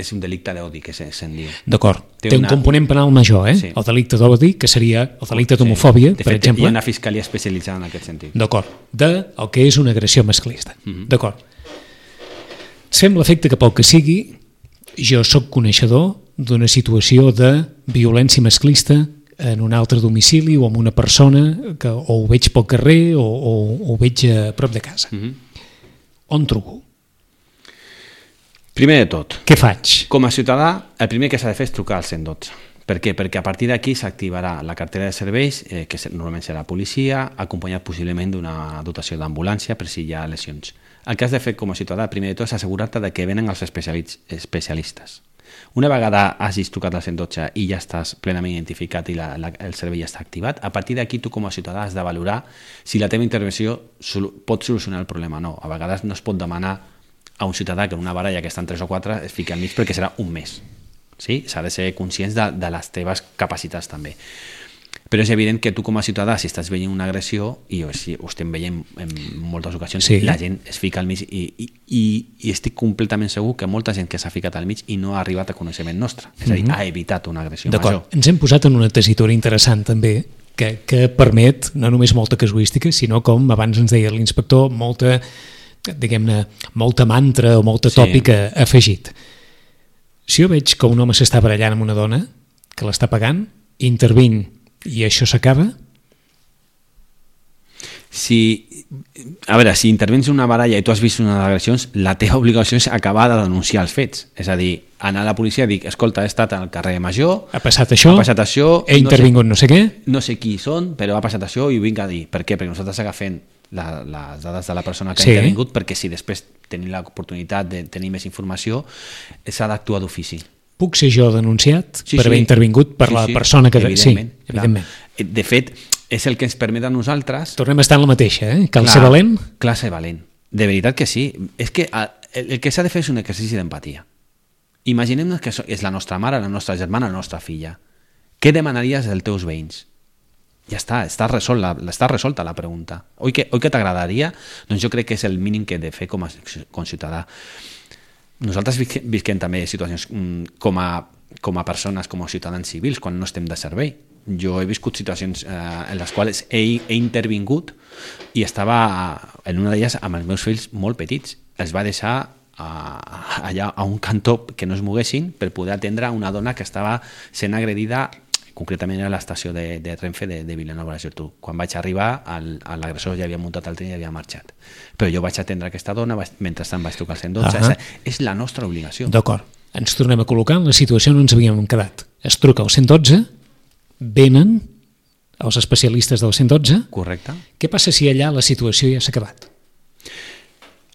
és un delicte d'odi, que se'n diu. D'acord, té, té una... un component penal major, eh? Sí. El delicte d'odi, que seria el delicte d'homofòbia, sí. per fet, exemple. Hi ha una fiscalia especialitzada en aquest sentit. D'acord, de el que és una agressió masclista. Mm-hmm. D'acord. Sembla l'efecte que pel que sigui, jo sóc coneixedor d'una situació de violència masclista en un altre domicili o amb una persona que o ho veig pel carrer o, o, o ho veig a prop de casa. Mm-hmm. On truco? Primer de tot, què faig? Com a ciutadà, el primer que s'ha de fer és trucar al cent dotze. Per què? Perquè a partir d'aquí s'activarà la cartera de serveis, eh, que normalment serà policia, acompanyat possiblement d'una dotació d'ambulància per si hi ha lesions. El que has de fer com a ciutadà, primer de tot, és assegurar-te de que venen els especialistes. Una vegada hagis trucat al cent dotze i ja estàs plenament identificat i la, la, el servei ja està activat, a partir d'aquí tu com a ciutadà has de valorar si la teva intervenció sol, pot solucionar el problema o no. A vegades no es pot demanar a un ciutadà que en una baralla que estan tres o quatre es fiqui al mig perquè serà un mes. Sí? S'ha de ser conscients de, de les teves capacitats també. Però és evident que tu com a ciutadà, si estàs veient una agressió, i ho estem veient en moltes ocasions, sí. la gent es fica al mig i, i, i, i estic completament segur que molta gent que s'ha ficat al mig i no ha arribat a coneixement nostre. És a dir, mm-hmm. ha evitat una agressió D'acord. major. Ens hem posat en una tessitura interessant també, que, que permet no només molta casuística, sinó com abans ens deia l'inspector, molta, diguem-ne, molta mantra o molta tòpica sí. afegit. Si jo veig que un home s'està barallant amb una dona, que l'està pagant, intervinc i això s'acaba? Si, a veure, si intervens en una baralla i tu has vist unes agressions, la teva obligació és acabar de denunciar els fets. És a dir, anar a la policia i dir, escolta, he estat al carrer Major, ha passat això, ha passat això he intervingut no sé, no sé què, no sé qui són, però ha passat això i ho vinc a dir. Per què? Perquè nosaltres agafem la, les dades de la persona que sí. ha intervingut, perquè si després tenim l'oportunitat de tenir més informació, s'ha d'actuar d'ofici. Puc ser jo denunciat sí, per sí. haver intervingut per sí, la sí. persona que... Evidentment, sí, evidentment. De fet, és el que ens permet a nosaltres... Tornem a estar en la mateixa, eh? Cal clar, ser valent? Clar, ser valent. De veritat que sí. És que el que s'ha de fer és un exercici d'empatia. Imaginem-nos que és la nostra mare, la nostra germana, la nostra filla. Què demanaries dels teus veïns? Ja està, està, resol, la, està resolta la pregunta. Oi que, oi que t'agradaria? Doncs jo crec que és el mínim que he de fer com a, com a ciutadà. Nosaltres visquem també situacions com a, com a persones, com a ciutadans civils, quan no estem de servei. Jo he viscut situacions eh, en les quals he, he intervingut i estava en una d'elles amb els meus fills molt petits. Els va deixar a, allà a un cantó que no es moguessin per poder atendre una dona que estava sent agredida, concretament a l'estació de, de Renfe de, de Vilanova i la Geltrú. Quan vaig arribar, l'agressor ja havia muntat el tren i havia marxat. Però jo vaig atendre aquesta dona, vaig, mentrestant vaig trucar al cent dotze. Uh -huh. És la nostra obligació. D'acord. Ens tornem a col·locar en la situació on ens havíem quedat. Es truca al cent dotze, venen els especialistes del cent dotze. Correcte. Què passa si allà la situació ja s'ha acabat?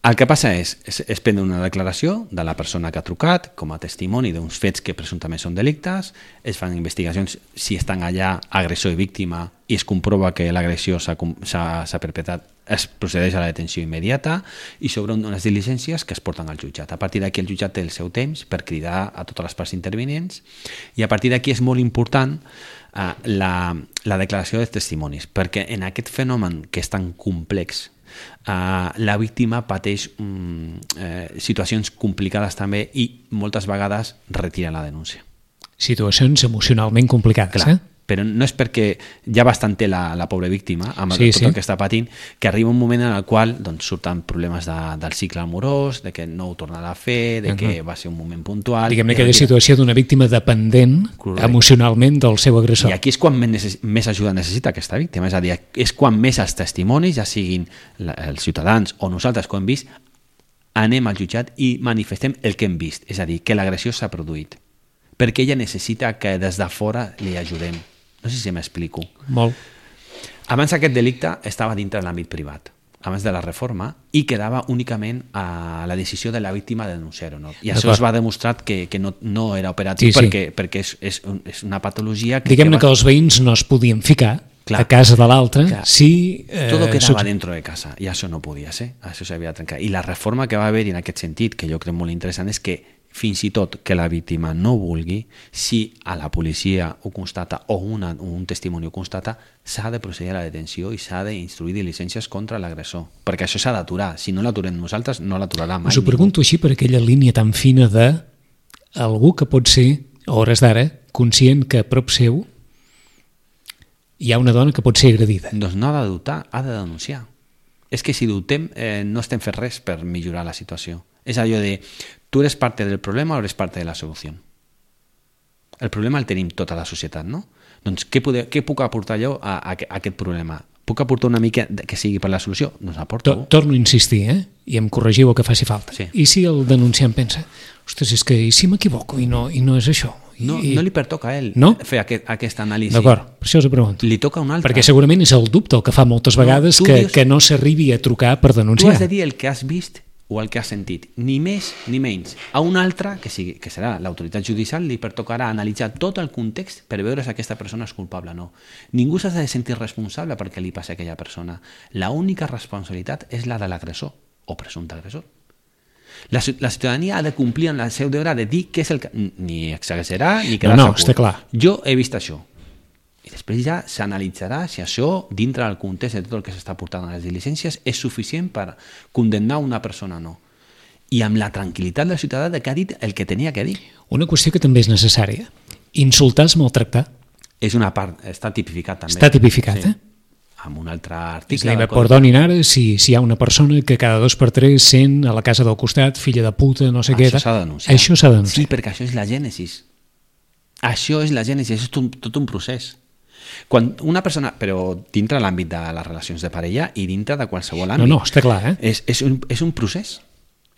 El que passa és, és, és prendre una declaració de la persona que ha trucat com a testimoni d'uns fets que presumptament són delictes, es fan investigacions si estan allà agressor i víctima i es comprova que l'agressió s'ha perpetrat, es procedeix a la detenció immediata i s'obren unes diligències que es porten al jutjat. A partir d'aquí el jutjat té el seu temps per cridar a totes les parts intervenients i a partir d'aquí és molt important eh, la, la declaració dels testimonis, perquè en aquest fenomen que és tan complex, Uh, la víctima pateix um, eh, situacions complicades també i moltes vegades retira la denúncia. Situacions emocionalment complicades, clar, eh? Però no és perquè ja bastant té la, la pobra víctima amb sí, tot sí. el que està patint, que arriba un moment en el qual doncs, surten problemes de, del cicle amorós, de que no ho tornarà a fer, de que uh-huh. va ser un moment puntual... Diguem-ne aquella situació d'una víctima dependent correcte. Emocionalment del seu agressor. I aquí és quan més, més ajuda necessita aquesta víctima, és a dir, és quan més els testimonis, ja siguin la, els ciutadans o nosaltres que ho hem vist, anem al jutjat i manifestem el que hem vist, és a dir, que l'agressió s'ha produït, perquè ella necessita que des de fora li ajudem. No sé si m'explico. Molt. Abans aquest delicte estava dintre de l'àmbit privat, abans de la reforma, i quedava únicament a la decisió de la víctima de denunciar-ho. No? I això es va demostrar que, que no, no era operatiu sí, sí. perquè, perquè és, és, és una patologia... Que Diguem-ne que, que va... els veïns no es podien ficar clar, a casa de l'altre si... Eh, Todo quedava dentro de casa i això no podia ser, això s'havia de trencar. I la reforma que va haver en aquest sentit, que jo crec molt interessant, és que fins i tot que la víctima no vulgui, si a la policia ho constata o una, un testimoni ho constata, s'ha de procedir a la detenció i s'ha d'instruir diligències contra l'agressor, perquè això s'ha d'aturar. Si no l'aturem nosaltres, no l'aturarà mai. Us ho pregunto així per aquella línia tan fina de algú que pot ser, a hores d'ara, conscient que a prop seu hi ha una dona que pot ser agredida. Doncs no ha de dubtar, ha de denunciar. És que si dubtem, eh, no estem fent res per millorar la situació. És allò de, tu eres parte del problema o eres parte de la solució. El problema el tenim tota la societat, no? Doncs què, poder, què puc aportar jo a, a, a aquest problema? Puc aportar una mica que sigui per la solució? Doncs aporto. Torno a insistir, eh? I em corregiu el que faci falta. Sí. I si el denunciant pensa, ostres, és que i si m'equivoco i no, i no és això? I, no, no li pertoca a ell no? fer aquest, aquesta anàlisi. D'acord, per això us ho pregunto. Li toca un altre. Perquè segurament és el dubte el que fa moltes vegades no, que, dius, que no s'arribi a trucar per denunciar. Tu has de dir el que has vist o el que has sentit, ni més ni menys. A un altre, que, sigui, que serà l'autoritat judicial, li pertocarà analitzar tot el context per veure si aquesta persona és culpable o no. Ningú s'ha de sentir responsable perquè li passi a aquella persona. L'única responsabilitat és la de l'agressor o presumpte agressor. La, la ciutadania ha de complir en el seu deure de dir què és el que... Ni exagerar ni quedar-se no, no, està clar. Jo he vist això. I després Després ja s'analitzarà si això, dintre del context de tot el que s'està portant a les diligències, és suficient per condemnar una persona o no. I amb la tranquil·litat del ciutadà de que ha dit el que tenia que dir. Una qüestió que també és necessària. Insultar és maltractar. És una part, està tipificat també. Està tipificat, sí. eh? Amb un altre article. És a dir, perdonin ara si, si hi ha una persona que cada dos per tres sent a la casa del costat, filla de puta, no sé això què. Això s'ha de denunciar. Això s'ha de denunciar. Sí, perquè això és la gènesis. Això és la gènesis, això és tot, tot un procés. Quan una persona, però dintre l'àmbit de les relacions de parella i dintre de qualsevol àmbit. No, no, està clar, eh? És, és, un, és un procés.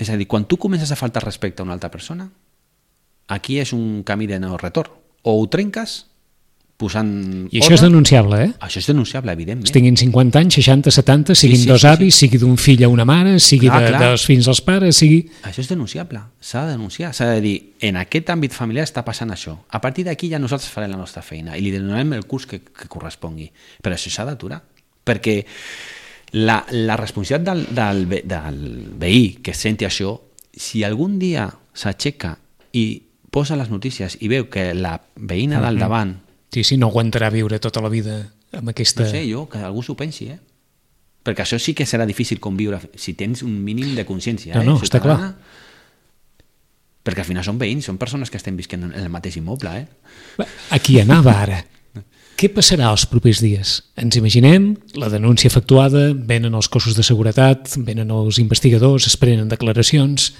És a dir, quan tu comences a faltar respecte a una altra persona, aquí és un camí de no retorn. O ho trenques posant... I això ordre. És denunciable, eh? Això és denunciable, evidentment. Es tinguin cinquanta anys, seixanta, setanta, siguin sí, sí, dos sí, avis, sí. sigui d'un fill a una mare, sigui clar, de, clar. dels fills als pares, sigui... Això és denunciable, s'ha de denunciar, s'ha de dir, en aquest àmbit familiar està passant això. A partir d'aquí ja nosaltres farem la nostra feina i li donarem el curs que, que correspongui. Però això s'ha d'aturar, perquè la, la responsabilitat del, del, ve, del veí que senti això, si algun dia s'aixeca i posa les notícies i veu que la veïna del davant... Sí, sí, no aguantarà viure tota la vida amb aquesta... No sé, jo, que algú s'ho pensi, eh? Perquè això sí que serà difícil conviure si tens un mínim de consciència. No, eh? no, està clar. Perquè al final són veïns, són persones que estem visquent en el mateix immoble, eh? Aquí anava ara. Què passarà els propers dies? Ens imaginem la denúncia efectuada, venen els cossos de seguretat, venen els investigadors, es prenen declaracions...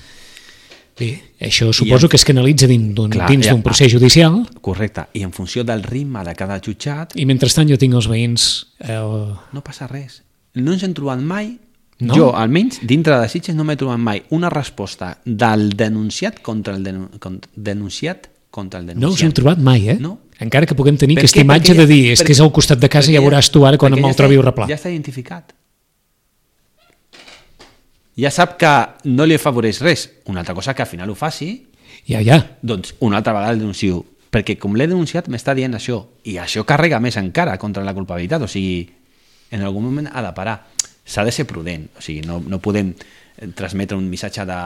Bé, això suposo en, que es canalitza dins d'un ja, procés judicial. Correcte, i en funció del ritme de cada jutjat... I mentrestant jo tinc els veïns... Eh, no passa res. No ens hem trobat mai, no? Jo almenys dintre de Sitges no m'he trobat mai una resposta del denunciat contra el denu, contra, denunciat contra el denunciat. No us hem trobat mai, eh? No. Encara que puguem tenir per aquesta què? imatge perquè, de dir és perquè, que és al costat de casa i ja veuràs tu ara quan me'l ja trobi el replà. Ja està identificat. Ja sap que no li afavoreix res. Una altra cosa que al final ho faci, ja, ja. doncs una altra vegada el denuncio. Perquè com l'he denunciat m'està dient això. I això carrega més encara contra la culpabilitat. O sigui, en algun moment ha de parar. S'ha de ser prudent. O sigui, no, no podem transmetre un missatge de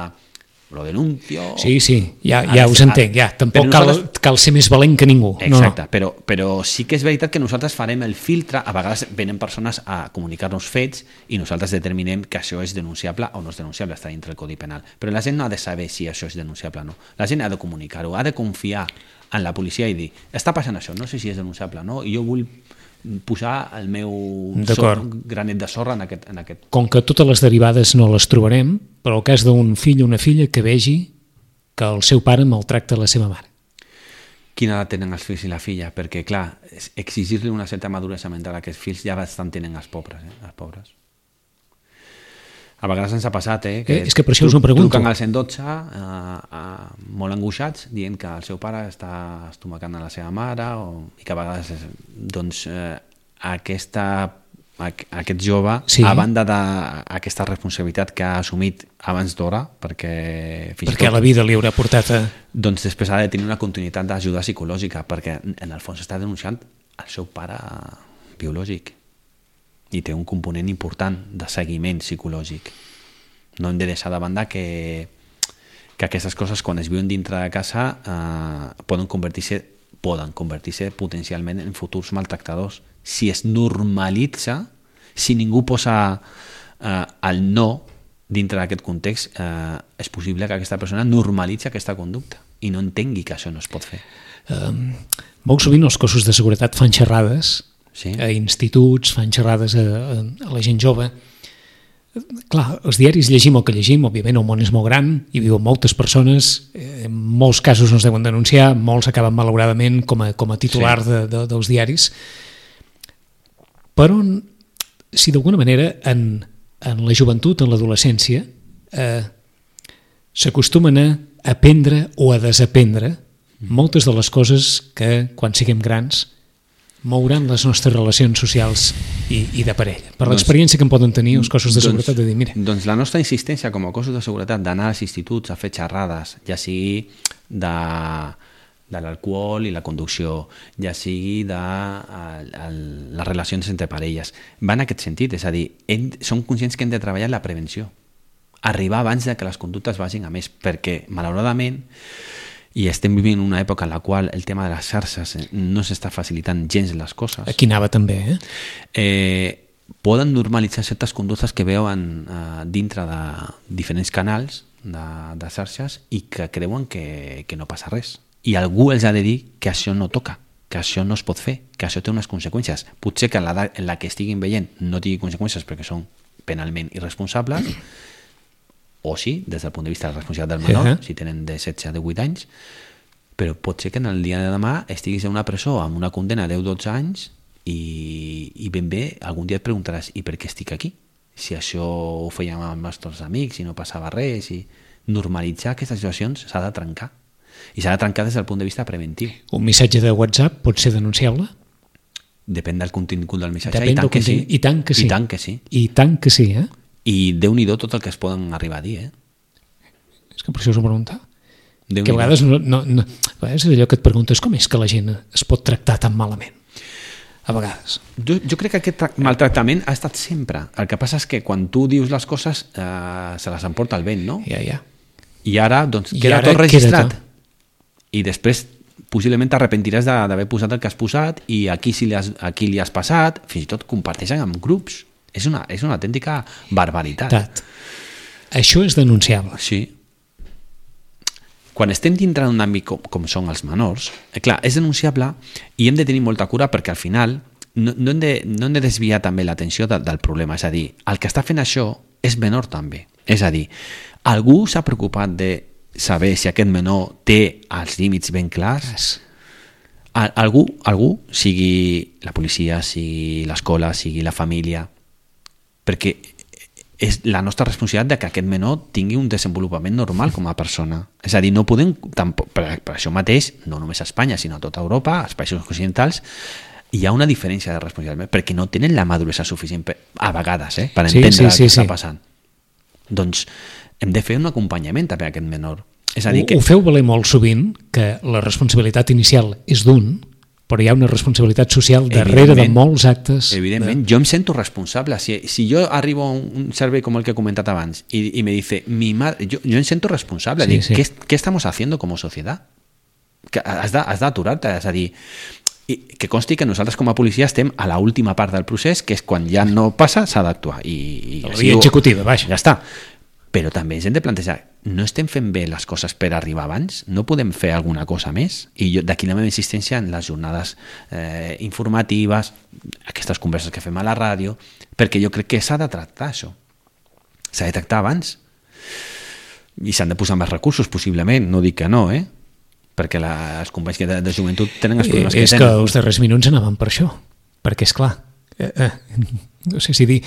lo denuncio... Sí, sí, ja, ja us entenc. Ja. Tampoc cal, nosaltres... cal ser més valent que ningú. Exacte, no, no. Però, però sí que és veritat que nosaltres farem el filtre. A vegades venen persones a comunicar-nos fets i nosaltres determinem que això és denunciable o no és denunciable, està dintre del Codi Penal. Però la gent no ha de saber si això és denunciable o no. La gent ha de comunicar-ho, ha de confiar en la policia i dir, està passant això, no sé si és denunciable o no, i jo vull posar el meu sor, granet de sorra en aquest, en aquest... Com que totes les derivades no les trobarem, però el cas d'un fill o una filla que vegi que el seu pare maltracta la seva mare. Quina edat tenen els fills i la filla? Perquè, clar, exigir-li una certa maduresa mental a aquests fills ja bastant tenen els pobres, eh? Els pobres. A vegades ens ha passat, eh? Que eh és que per això us ho pregunto. Truquen al cent dotze eh, eh, molt angoixats, dient que el seu pare està estomacant a la seva mare o, i que a vegades doncs, eh, aquesta, aquest jove, sí. A banda d'aquesta responsabilitat que ha assumit abans d'hora, perquè... Fins perquè tot, la vida li haurà portat a... Doncs després ha de tenir una continuïtat d'ajuda psicològica, perquè en el fons està denunciant el seu pare biològic. I té un component important de seguiment psicològic. No hem de deixar de banda que, que aquestes coses, quan es viuen dintre de casa, eh, poden convertir-se poden convertir-se potencialment en futurs maltractadors. Si es normalitza, si ningú posa eh, el no dintre d'aquest context, eh, és possible que aquesta persona normalitzi aquesta conducta i no entengui que això no es pot fer. Um, molt sovint els cossos de seguretat fan xerrades, sí. A instituts, fan xerrades a, a, a la gent jove. Clar, els diaris llegim el que llegim, òbviament el món és molt gran, hi viuen moltes persones, en molts casos no es deuen denunciar, molts acaben malauradament com a, com a titular sí. de, de, dels diaris. Però si d'alguna manera en, en la joventut, en l'adolescència, eh, s'acostumen a aprendre o a desaprendre moltes de les coses que quan siguem grans mouran les nostres relacions socials i, i de parella. Per doncs, l'experiència que en poden tenir els cossos de seguretat doncs, de dir, mira... Doncs la nostra insistència com a cossos de seguretat d'anar als instituts a fer xerrades, ja sigui de, de l'alcohol i la conducció, ja sigui de a, a, les relacions entre parelles, va en aquest sentit, és a dir, hem, som conscients que hem de treballar en la prevenció, arribar abans de que les conductes vagin a més, perquè malauradament i estem vivint una època en la qual el tema de les xarxes no s'està facilitant gens les coses. Aquí anava també, eh? eh poden normalitzar certes conductes que veuen eh, dintre de diferents canals de, de xarxes i que creuen que, que no passa res. I algú els ha de dir que això no toca, que això no es pot fer, que això té unes conseqüències. Potser que en l'edat en la que estiguin veient no tingui conseqüències perquè són penalment irresponsables, o sí, des del punt de vista de la responsabilitat del menor, uh -huh. si tenen de setze a divuit anys, però pot ser que en el dia de demà estiguis en una presó amb una condena de deu a dotze anys i, i ben bé algun dia et preguntaràs i per què estic aquí? Si això ho fèiem amb els nostres amics i no passava res, i normalitzar aquestes situacions s'ha de trencar. I s'ha de trencar des del punt de vista preventiu. Un missatge de WhatsApp pot ser denunciable? Depèn del contingut del missatge. Depèn I tant del que sí. I tant que sí. I tant que sí. I tant que sí, eh? I Déu-n'hi-do tot el que es poden arribar a dir, eh? És que per això us ho pregunta. Déu que a vegades, no, no, no, a vegades és allò que et preguntes com és que la gent es pot tractar tan malament. A vegades. Jo, jo crec que aquest maltractament ha estat sempre. El que passa és que quan tu dius les coses eh, se les emporta el vent, no? Ja, ja. I ara doncs, I queda ara tot registrat. Queda tot. I després possiblement t'arrepentiràs d'haver posat el que has posat i a qui, si li has, a qui li has passat, fins i tot comparteixen amb grups. És una, és una autèntica barbaritat. Tat. Això és denunciable. Sí. Quan estem dintre d'un àmbit com, com són els menors, eh, clar, és denunciable i hem de tenir molta cura perquè al final no, no, hem, de, no hem de desviar també l'atenció de, del problema. És a dir, el que està fent això és menor també. És a dir, algú s'ha preocupat de saber si aquest menor té els límits ben clars? Al, algú, algú, sigui la policia, sigui l'escola, sigui la família, perquè és la nostra responsabilitat de que aquest menor tingui un desenvolupament normal com a persona. És a dir, no podem, tampoc, per, per això mateix, no només a Espanya, sinó a tota Europa, als països occidentals, hi ha una diferència de responsabilitat, perquè no tenen la maduresa suficient per, a vegades, eh, per entendre sí, sí, sí, el que sí. està passant. Doncs hem de fer un acompanyament també a aquest menor. És a dir que... Ho feu valer molt sovint, que la responsabilitat inicial és d'un, però hi ha una responsabilitat social darrere de molts actes. Evidentment, de... jo em sento responsable. Si, si jo arribo a un servei com el que he comentat abans i, i me dice, mi madre, yo, yo em sento responsable. Sí, Dic, sí. ¿qué, ¿Qué estamos haciendo como sociedad? Que has d'aturar-te, és a dir, i que consti que nosaltres com a policia estem a l'última part del procés, que és quan ja no passa, s'ha d'actuar. I, i la via executiva, vaja. Ja està. Però també ens hem de plantejar, no estem fent bé les coses per arribar abans? No podem fer alguna cosa més? I jo, d'aquí la meva insistència en les jornades eh, informatives, aquestes converses que fem a la ràdio, perquè jo crec que s'ha de tractar això. S'ha de tractar abans. I s'han de posar més recursos, possiblement, no dic que no, eh? Perquè la, els companys de, de joventut tenen els problemes eh, que és tenen. És que els darrers minuts anaven per això, perquè és clar, eh, eh, no sé si dir,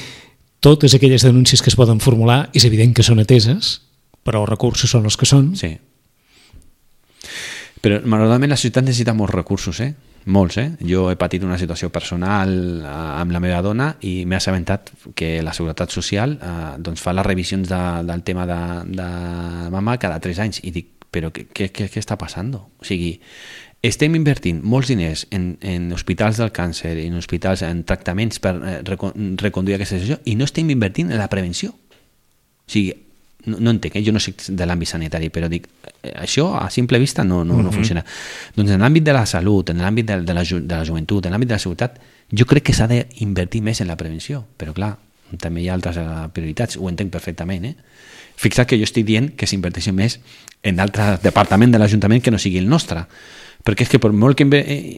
totes aquelles denúncies que es poden formular és evident que són ateses, però els recursos són els que són. Sí. Però malauradament la societat necessita molts recursos, eh? Molts, eh? Jo he patit una situació personal amb la meva dona i m'he assabentat que la Seguretat Social eh, doncs fa les revisions de, del tema de, de mama cada tres anys i dic, però què, què, què està passant? O sigui, estem invertint molts diners en, en hospitals del càncer, en hospitals, en tractaments per eh, reconduir aquesta situació i no estem invertint en la prevenció. O sigui, no, no entenc, eh? Jo no soc de l'àmbit sanitari, però dic, eh, això a simple vista no, no, no uh-huh. funciona. Doncs en l'àmbit de la salut, en l'àmbit de, de, la, de la joventut, en l'àmbit de la seguretat, jo crec que s'ha d'invertir més en la prevenció, però clar, també hi ha altres prioritats, ho entenc perfectament, eh? Fixa't que jo estic dient que s'inverteixi més en altre departament de l'Ajuntament que no sigui el nostre, perquè és que per molt que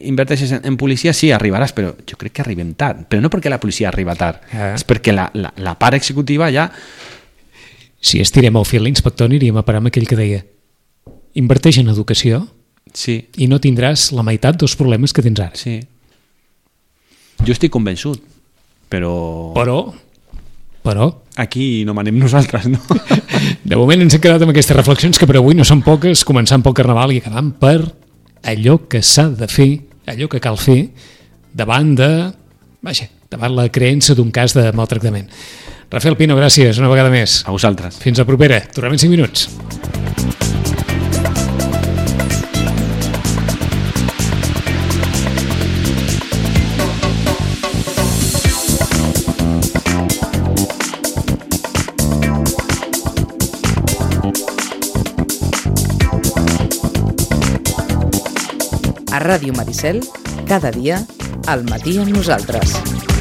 inverteixis en, en policia sí, arribaràs, però jo crec que arribem tard, però no perquè la policia arriba tard, eh. és perquè la, la, la part executiva ja... Si estirem el fil, l'inspector aniríem a parar amb aquell que deia inverteix en educació sí. i no tindràs la meitat dels problemes que tens ara. Sí. Jo estic convençut, però... Però... Però... Aquí no manem nosaltres, no? De moment ens hem quedat amb aquestes reflexions que per avui no són poques, començant pel Carnaval i acabant per allò que s'ha de fer, allò que cal fer davant de... Vaja, davant la creença d'un cas de maltractament. Rafael Pino, gràcies una vegada més. A vosaltres. Fins la propera. Tornem en cinc minuts. A Ràdio Maricel, cada dia, al matí amb nosaltres.